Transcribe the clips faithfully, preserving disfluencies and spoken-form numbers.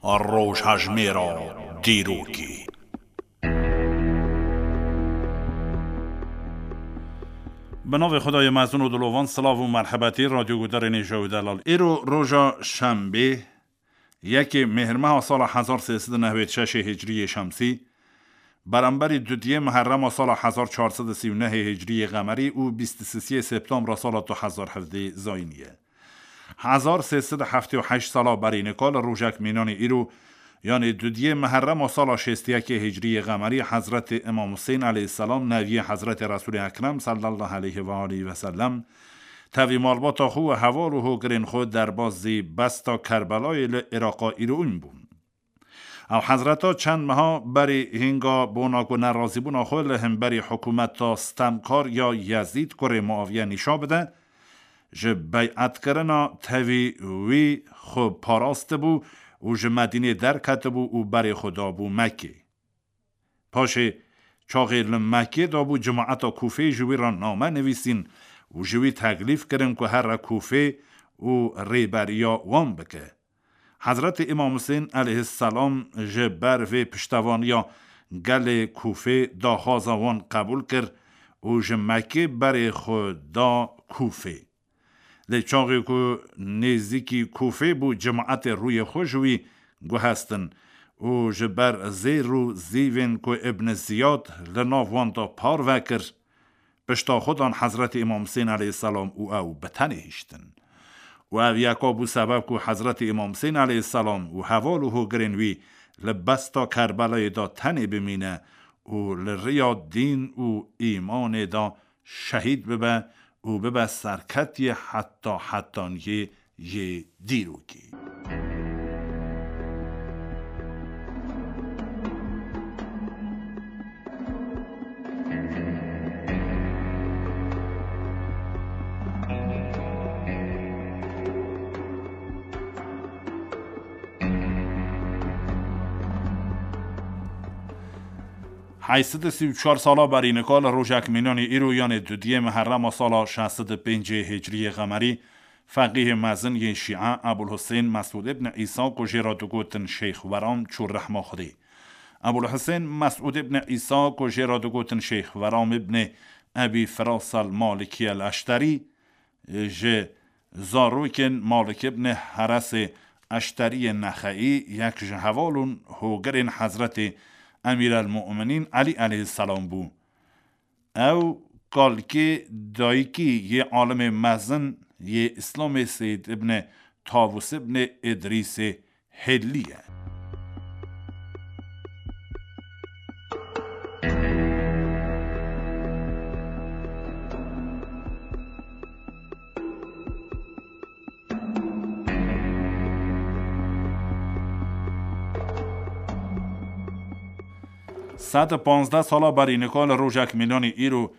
Rojhejmêra dîrokê. Bi navê Xwedayê mezin û dilovan, silav û merhebetî radyo gudarên hêja û delal. Îro roja şembê, yekê Mêhrmeha sala hezar sê sed û newêd şeşê Hicriyê Şemsî, beramberî dudiyê Muherrema sala hezar çar sed û sî û nehê Hicriyê Qemerî û bîst û sisiyê Septembra sala du hezar hevdê Zayînî ye. Hezar sê sed û heftê û heşt sala berî nika li rojek mînanê îro, yanê dudiyê Muherrema sala şêst û yekê Hicriyê Qemerî, Hezretê Îmam Husên aleyhisselam, neviyê Hezretê Resûlê Ekrem sallallahu aleyhi ve aleyhi ve sellem, tevî malbata xwe û heval û hogirên xwe derbasî besta Kerbelayê li Iraqa îroîn bûn. Ew hezreta çend meha berî hînga bona ku nerazîbûna xwe li hemberî hikûmeta stemkar ya Yezîd kurê Muaviye nîşa bide, ji bey'etkirina tevî wî xwe parastibû û ji Medînê derketibû û berê xwe dabû Mekkê. Paşê çaxê li Mekkê dabû, cemaeta Kûfê ji wî re name nivîsîn û ji wî teklîf kirin ku here Kûfê û rêberiya wan bike. Hezretê Îmam Husên aleyhisselam ji ber vê piştevaniya gelê Kûfê daxwaza wan qebûl kir û ji Mekkê berê xwe da Kûfê. Lê çaxê ku nêzîkî Kûfê bû, cemaetê rûyê xwe ji wî guhestin û ji ber zêr û zîvên ku Ibn Ziyad li nav wan de parve kir, pişta xwe dan Hezretê Îmam Husên aleyhisselam û ew bi tenê hiştin. Û ev yeka bû sebeb ku Hezretê Îmam Husên aleyhisselam û heval û hogirên wî li besta Kerbelayê de tenê bimîne û li riya dîn û îmanê de şehîd bibe û bibe serketiyê heta hetaniyê yê dîrokê. Heyşt sed û sî û çar sala berî nika li rojek mînanî îro, yanê dudiyê Muherrema sala şeş sed û pêncê Hicriyê Qemerî, feqîhê mezin yê Şîe Ebul Husên Mesûd ibn Îsa ku jê re digotin Şeyx Weram çû rehma Xwedê. Ebul Husên Mesûd ibn Îsa ku jê re digotin Şeyx Weram ibn Ebî Firas el Malikî el Eşterî, ji zarokên Malik ibn Heresê Eşteriyê Nexeî, yek ji heval û hogirên Hezretê Emîrelmu'minîn Elî aleyhisselam bû. Ew kalkê dayikî yê alimê mezin yê Îslamê Seyyid ibn Tavus ibn Îdrîsê Hêlî ye. Sed û panzdeh sala berî nika li rojek mînanî îro,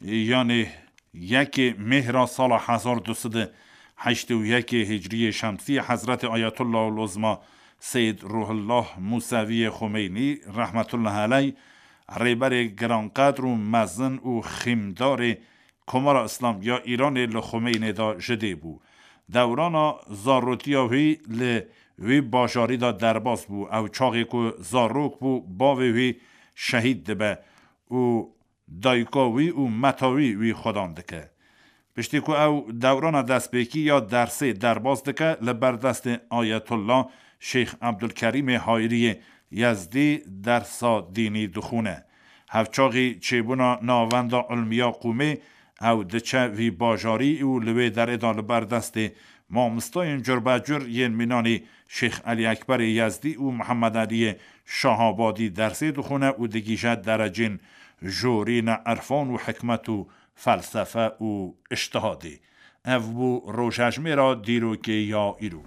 yanê yekê Mêhra sala hezar du sed û heştê û yekê Hicriyê Şemsî, Hezretê Ayetullah Uluzma Seyyid Ruhullah Museviyê Xumeynî rehmetullah aleyh, rêberê giranqedr û mezin û xîmdarê Komara Îslam ya Îranê li Xumeynê de ji dê bû. Dewrana zarotiya wî li wî bajarî de derbas bû. Ew çaxê ku zarok bû, bavê wî şehîd dibe û dayika wî û meta wî wî xwedan dike. Piştî ku ew dewrana destpêkî ya dersê derbas dike, li ber destê Ayetullah Şeyx Ebdulkerîmê Hayriyê Yezdî dersa dînî dixwîne. Hevçaxî çêbûna navenda ilmiya qûmê, ew diçe vî bajarî û li wê derê de li ber destê mamostayên curbecur yên mînanî Şeyx Elî Ekberê Yezdî û Mihemed Eliyê Şahabadî dersê dixwîne û digihîje derecên jorîna irfan û hikmet û felsefe û îctihadê. Ev bû rojhejmêra dîrokê ya îro.